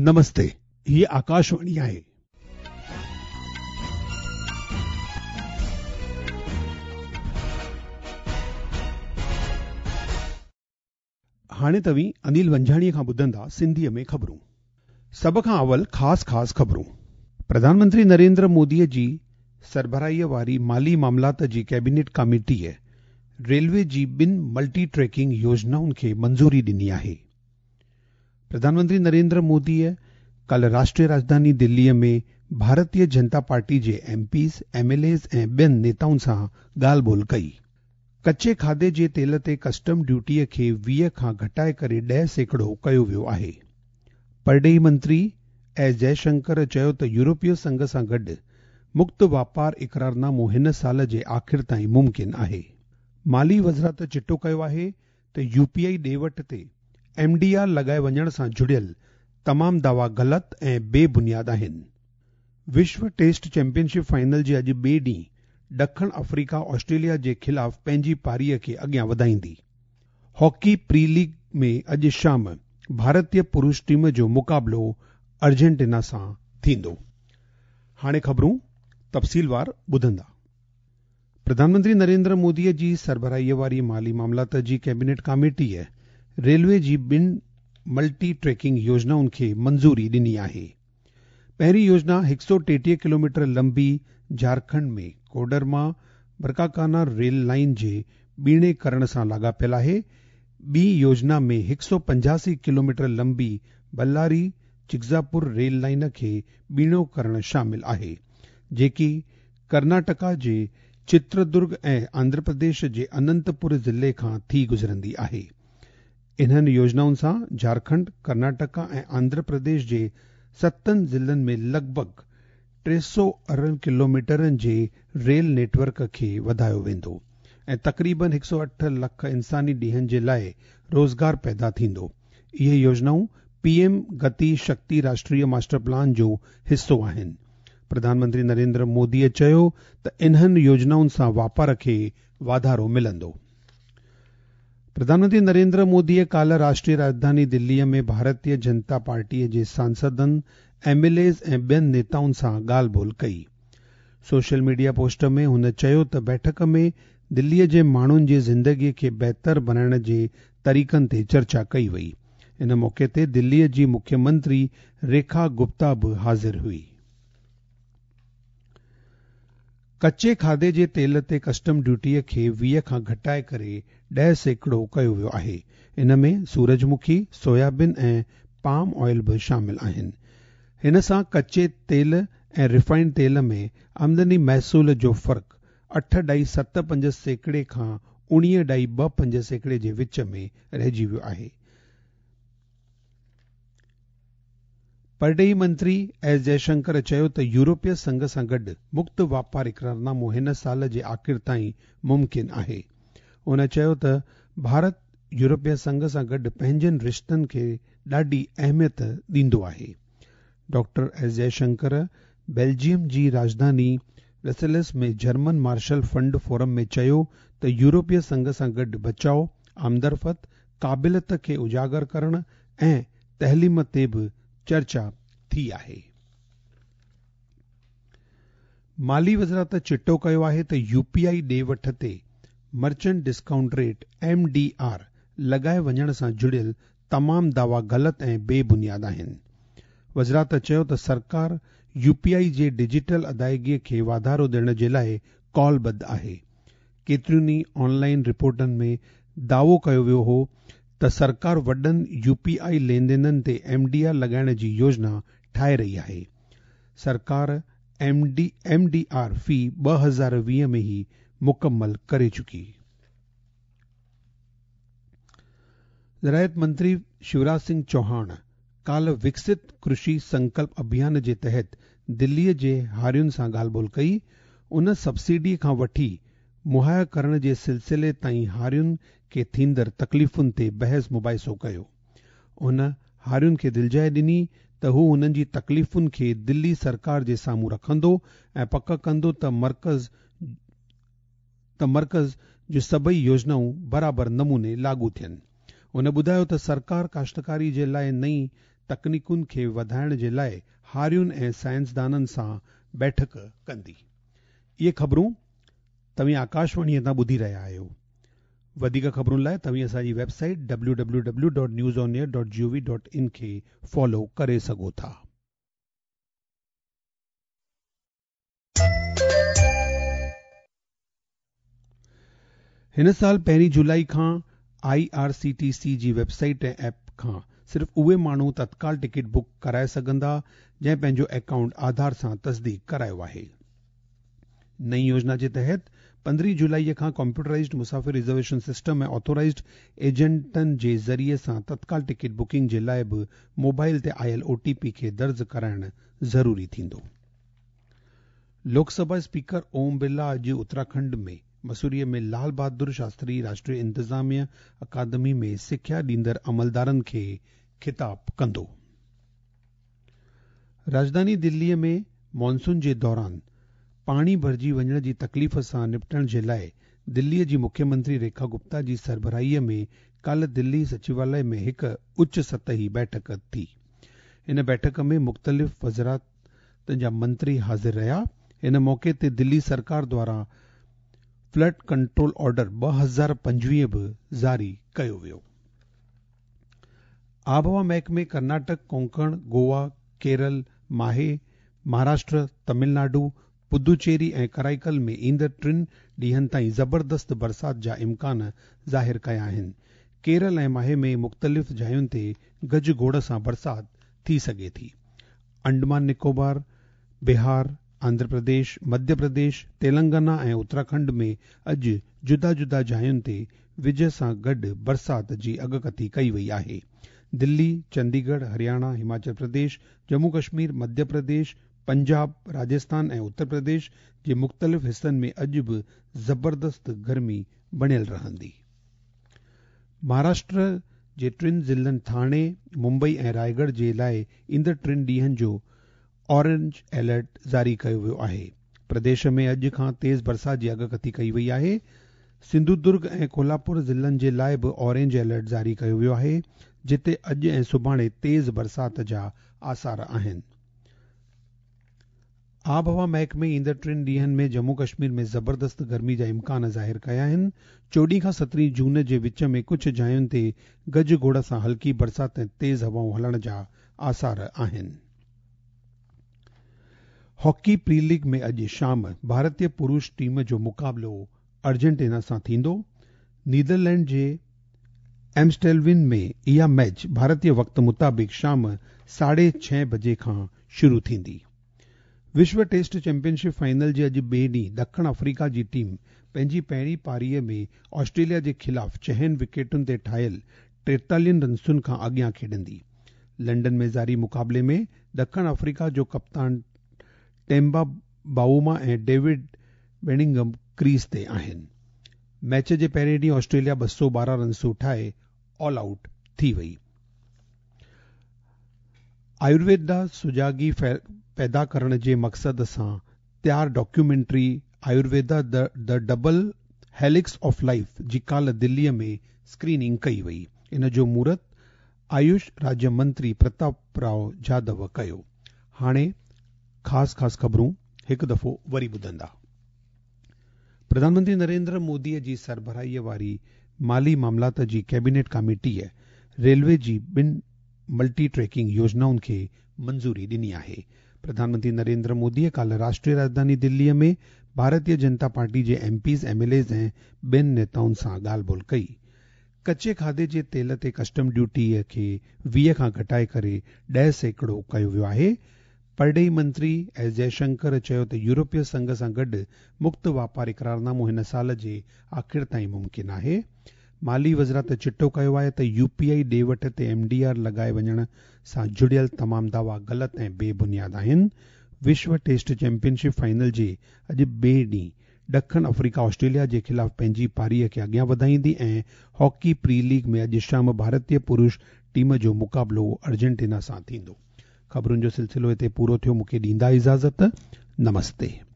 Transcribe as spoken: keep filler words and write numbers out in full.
نمستي، هيء آڪاشواڻي آهي. هاڻي توهين انيل ونجهاڻيء کان ٻڌندا سنڌيء ۾ خبرون. سڀ کان اول خاص خاص خبرون. پرڌان منتري نريندر موديء جي سربراهيء واري مالي معاملات جي ڪيبينيٽ ڪاميٽيء ريلوي جي ٻن ملٽي ٽريڪنگ يوجنائن کي منظوري ڏني آهي. پرڌان منتري نريندر موديء ڪالهه راشٽريه راڄڌاني دليء ۾ ڀارتيه جنتا پارٽي جي M Ps, M L As ۽ ٻين نيتائن سان ڳالهه ٻولهه ڪئي. ڪچي کاڌي جي تيل تي ڪسٽم ڊيوٽيء کي ويهه کان گهٽائي ڪري ڏهه سيڪڙو ڪيو ويو آهي. پرڏيهي منتري ايس جئشنڪر چيو ته يورپي سنگهه سان گڏ مڪت واپار اقرارنامو هن سال جي آخر تائين ممڪن آهي. مالي وزارت چٽو ڪيو آهي ته يو پي I ڏي وٺ تي ايم ڊي آر لڳائي وڃڻ سان جڙيل تمام دعوا غلط ۽ بي بنياد آهن. وشو ٽيسٽ چيمپيئن شپ فائنل جي اڄ ٻئي ڏينهن ڏکڻ آفريڪا آسٽريليا جي خلاف پنهنجي پاريءَ کي اڳيان وڌائيندي. هاڪي پري ليگ ۾ اڄ شام ڀارتيه پرش ٽيم جو مقابلو ارجنٽينا سان ٿيندو. هاڻي خبرون تفصيلوار ٻڌندا. پرڌان منتري نريندر موديء جي سربراهيءَ واري مالي معاملات جي ڪيبينيٽ ڪاميٽيء ريلوي جي ٻن ملٽي ٽريڪنگ يوجنائن کي منظوري ڏني آهي. پهرين يوجنا هڪ سؤ ٽيٽيهه ڪلوميٽر لمبي جهارکنڊ ۾ ڪوڊرما برڪاڪانا ريل لائن جي ٻيڻي ڪرڻ سان لاڳاپيل آهي. ٻي يوجنا ۾ هڪ سؤ پنجاسي ڪلوميٽر لمبي بلاري چگزاپور ريل لائن کي ٻيڻو ڪرڻ شامل آهي، جيڪي ڪرناٽڪا جي چتردرگ ۽ آنڌرا پرديش جي اننتپور ضلعي کان ٿي گذرندي آهي. انهن يوجنائن سان جهارکنڊ، ڪرناٽڪا ۽ آنڌرا پرديش جي ستن ضلعن ۾ لڳ ڀڳ ٽي سؤ ارڙهن ڪلوميٽرن جي ريل نيٽ ورڪ کي وڌايو ويندو ۽ تقريبن هڪ سؤ اٺ لک انساني ڏينهن جي لاءِ روزگار پيدا ٿيندو. اهي يوجنائون پي ايم گتي شڪتي راشٽريه ماسٽر پلان جو حصو آهن. پرڌان منتري نريندر موديءَ چيو ته انهن يوجنائن سان واپار کي واڌارو ملندو. پرڌان منتري نريندر موديءَ ڪالهه راشٽريه راڄڌاني دليءَ ۾ ڀارتيه جنتا پارٽيءَ جي سانسدن، ايم ايل ايز ۽ ٻين نيتائن سان ڳالهه ٻولهه ڪئي. سوشل ميڊيا پوسٽ ۾ هن چيو ته بيٺڪ ۾ دليءَ جي ماڻهن جي زندگيءَ کي بهتر بڻائڻ جي طريقن تي چرچا ڪئي وئي. ان موقعي تي دليءَ جي مکيه منتري ريکا گپتا به حاضر هئي. ڪچي کاڌي جي تيل تي ڪسٽم ڊيوٽيءَ کي ويهه کان گهٽائي ڪري ڏهه سيڪڙو ڪيو ويو آهي. ان ۾ سورجمکي، سويابين ۽ پام آئل به شامل آهن. هن سان ڪچي تيل ۽ ريفائنڊ تيل ۾ آمدني محصول جو فرق اٺ ڏهائي ست پنج سيڪڙي کان اڻويهه ڏهائي ٻه پنج سيڪڙي جي وچ ۾ رهجي ويو آهي. پرڏيهي منتري ايس جئشنڪر چيو ته يورپي سنگهه سان گڏ مڪت واپار اقرارنامو هن سال جي آخر تائين ممڪن آهي. هن چيو ته ڀارت يورپي سنگهه سان گڏ پنهنجن رشتن کي ڏاڍي اهميت ڏيندو آهي. ڊاڪٽر ايس جئشنڪر بيلجيم جي راڄڌاني Brussels ۾ German Marshall Fund forum ۾ چيو ته يورپي سنگهه سان گڏ بچاءُ، آمدرفت، قابليت کي اجاگر ڪرڻ ۽ تعليم تي به چرچا ٿي آهي. مالي وزارت چٽو ڪيو آهي ته يو پي I ڏي وٺ تي merchant discount rate M D R لڳائي وڃڻ سان جڙيل تمام دعوا غلط ۽ بي بنياد آهن. وزارت چيو ته سرڪار يو پي I جي ڊجيٽل ادائگيءَ کي واڌارو ڏيڻ جي لاءِ ڪالبڌ آهي. ڪيترين ئي آنلائن رپورٽن ۾ دعوو ڪيو ويو هو ته سرڪار وڏن يو پي I لين دينن تي ايم ڊي آر لڳائڻ جي يوجنا ٺاهي رهي آهي. سرڪار M D M D R في ٻه هزار ويهه ۾ ئي مڪمل ڪري چڪي. زراعت منتري شيوراج سنگهه چوهاڻ ڪالهه وڪست ڪرشي سنڪلپ اڀيان جي تحت دليءَ جي هارين سان ڳالهه ٻولهه ڪئي. ان سبسڊي کان وٺي مهيا ڪرڻ جي سلسلي تائين هارين کي ٿيندڙ تڪليفن تي بحث مباحثو ڪيو. هن هارين کي دلجاءِ ڏني ته هو هنن جي تڪليفن کي دلي سرڪار جي سامهون رکندو ۽ پڪ ڪندو ته مرڪز ته مرڪز جون سڀئي يوجنائون برابر نموني لاڳو ٿين. هن ٻڌايو ته سرڪار ڪاشتڪاري جي لاءِ نئين तकनीकुनि खे वधाइण जे लाइ हारियुनि ऐं साइंसदाननि सां बैठक कंदी। इहे ख़बरूं तव्हीं आकाशवाणीअ तां ॿुधी रहिया आहियो। वधीक ख़बरुनि लाइ तव्हीं असांजी website W W W dot news on air dot G O V dot in खे फॉलो करे सघो था। हिन साल पहिरीं जुलाई खां I R C T C ji website ऐं ऐप खां सिर्फ़ उहे माण्हू तत्काल टिकट बुक कराए सघंदा जंहिं पंहिंजो अकाउंट आधार सां तस्दीक करायो आहे। नई योजना जे तहत पंद्रहीं जुलाईअ खां कंप्यूटराइज्ड मुसाफ़िर रिज़र्वेशन सिस्टम ऐं ऑथोराइज्ड एजेंटनि जे ज़रिए सां तत्काल टिकट बुकिंग जे लाइ बि मोबाइल ते आयल ओ टी पी खे दर्ज कराइणु ज़रूरी थींदो। लोकसभा स्पीकर ओम बिरला अॼु उत्तराखंड में मसूरीअ में लाल बहादुर शास्त्री राष्ट्रीय इंतिज़ामिया अकादमी में सिख्या ॾींदड़ अमलदारनि खे ख़िताब कंदो। राजधानी दिल्लीअ में मॉनसून जे दौरान पाणी भरिजी वञण जी तकलीफ़ सां निपटण जे लाइ दिल्लीअ जी मुख्यमंत्री रेखा गुप्ता जी सरबराहीअ में काल्ह दिल्ली सचिवालय में हिकु उच्च सतही बैठक थी। इन बैठक में मुख़्तलिफ़ वज़ारतनि जा मंत्री हाज़िर रहिया। इन मौक़े ते दिल्ली सरकार द्वारा फ्लड कंट्रोल ऑर्डर ॿ हज़ार पंजवीह बि जारी कयो वियो। आबहवा महकमे कर्नाटक, कोंकण, गोवा, केरल, माहे, महाराष्ट्र, तमिलनाडु, पुदुचेरी ऐं कराईकल में ईंदड़ टिनि ॾींहनि ताईं ज़बरदस्त बरसात जा इम्कान ज़ाहिर कया आहिनि। केरल ऐं माहे में मुख़्तलिफ़ जायुनि ते गजगोड़ सां बरसात थी सघे थी। अंडमान निकोबार, बिहार, आंध्र प्रदेश, मध्य प्रदेश, तेलंगाना ऐं उत्तराखंड में अॼु जुदा जुदा जायुनि ते विज सां गॾु बरसात जी अॻकथी कई वई आहे। दिल्ली, चंडीगढ़, हरियाणा, हिमाचल प्रदेश, जम्मू कश्मीर, मध्य प्रदेश, पंजाब, राजस्थान ऐं उत्तर प्रदेश जे मुख़्तलिफ़ हिसनि में अॼु बि ज़बरदस्त गर्मी बणियल रहंदी। महाराष्ट्र जे टिनि ज़िलनि ठाणे, मुंबई ऐं रायगढ़ जे लाइ ईंदड़ टिनि ॾींहनि जो ऑरेंज अलर्ट जारी कयो वियो आहे। प्रदेश में अॼु खां तेज़ बरसात जी अॻकथी कई वई आहे। सिंधुदुर्ग ऐं कोल्हापुर ज़िलनि जे लाइ बि ऑरेंज अलर्ट जारी कयो वियो आहे, जिते अॼु ऐं सुभाणे तेज़ बरसात जा आसार आहिनि। आबहवा महकमे ईंदड़ टिनि ॾींहनि में जम्मू कश्मीर में ज़बरदस्त गर्मी जा इम्कान ज़ाहिर कया आहिनि। चोॾहं खां सतरहीं जून जे विच में कुझु जायुनि ते गजगोड़ सां हल्की बरसात ऐं तेज़ हवाऊं हलण जा आसार आहिनि। हॉकी प्री लीग में अॼु शाम भारतीय पुरुष टीम जो मुक़ाबिलो अर्जेंटीना सां थींदो। नीदरलैंड जे एम्स्टेलविन में इहा मैच भारतीय वक़्त मुताबिक़ शाम साढे छह बजे खां शुरू थींदी। विश्व टेस्ट चैंपियनशिप फाइनल जे अॼु ॿिए ॾींहुं ॾखिण अफ्रीका जी टीम पंहिंजी पहिरीं पारीअ में ऑस्ट्रेलिया जे ख़िलाफ़ छहनि विकेटुनि ते ठाहियल टेतालीहनि रनसुनि खां अॻियां खेॾंदी। लंडन में जारी मुक़ाबले में ॾखिण अफ्रीका जो कप्तान टेम्बा बावुमा ऐं डेविड बेनिंगम क्रीज ते आहिनि। मैच जे पहिरें ॾींहुं ऑस्ट्रेलिया ॿ सौ ॿारहं रनसूं ठाहे ऑल आउट थी वई। आयुर्वेदा सुजागी पैदा करण जे मक़सद सां तयार documentary Ayurveda the double helix of life जी काल्ह दिल्लीअ में स्क्रीनिंग कई वई। इन जो मुहूर्त आयुष राज्य मंत्री प्रताप राव जाधव कयो। हाणे ख़ासि ख़ासि ख़बरूं हिकु दफ़ो वरी ॿुधंदा। प्रधानमंत्री नरेंद्र मोदीअ जी सरबराहीअ वारी माली मामलात जी कैबिनेट कमेटीअ रेलवे जी ॿिनि मल्टी ट्रैकिंग योजनाउनि खे मंज़ूरी ॾिनी आहे। प्रधानमंत्री नरेंद्र मोदीअ काल्ह राष्ट्रीय राजधानी दिल्लीअ में भारतीय जनता पार्टी जे M Ps, M L As ऐं ॿियनि नेताउनि सां ॻाल्हि ॿोल कई। कच्चे खाधे जे तेल ते कस्टम ड्यूटीअ खे वीह खां घटाए करे ॾह सैकड़ो कयो वियो आहे। परॾेही मंत्री एस जयशंकर चयो त यूरोपीय संघ सां गॾु मुक्त वापार इकरारनामो हिन साल जे आख़िर ताईं मुमकिन आहे। माली वज़ारत चिटो कयो आहे त यू पी I ॾे वठ ते एम डी आर लॻाए वञण सां जुड़ियल तमाम दावा ग़लति ऐं बेबुनियाद आहिनि। विश्व टेस्ट चैंपियनशिप फाइनल जे अॼु ॿिए ॾींहुं ॾखिण अफ्रीका ऑस्ट्रेलिया जे ख़िलाफ़ पंहिंजी पारीअ खे अॻियां वधाईंदी ऐं हॉकी प्री लीग में अॼु शाम भारतीय पुरुष टीम जो मुक़ाबिलो अर्जेंटीना सां थींदो। ख़बरुनि जो सिलसिलो हिते पूरो थियो। मूंखे ॾींदा इजाज़त। नमस्ते।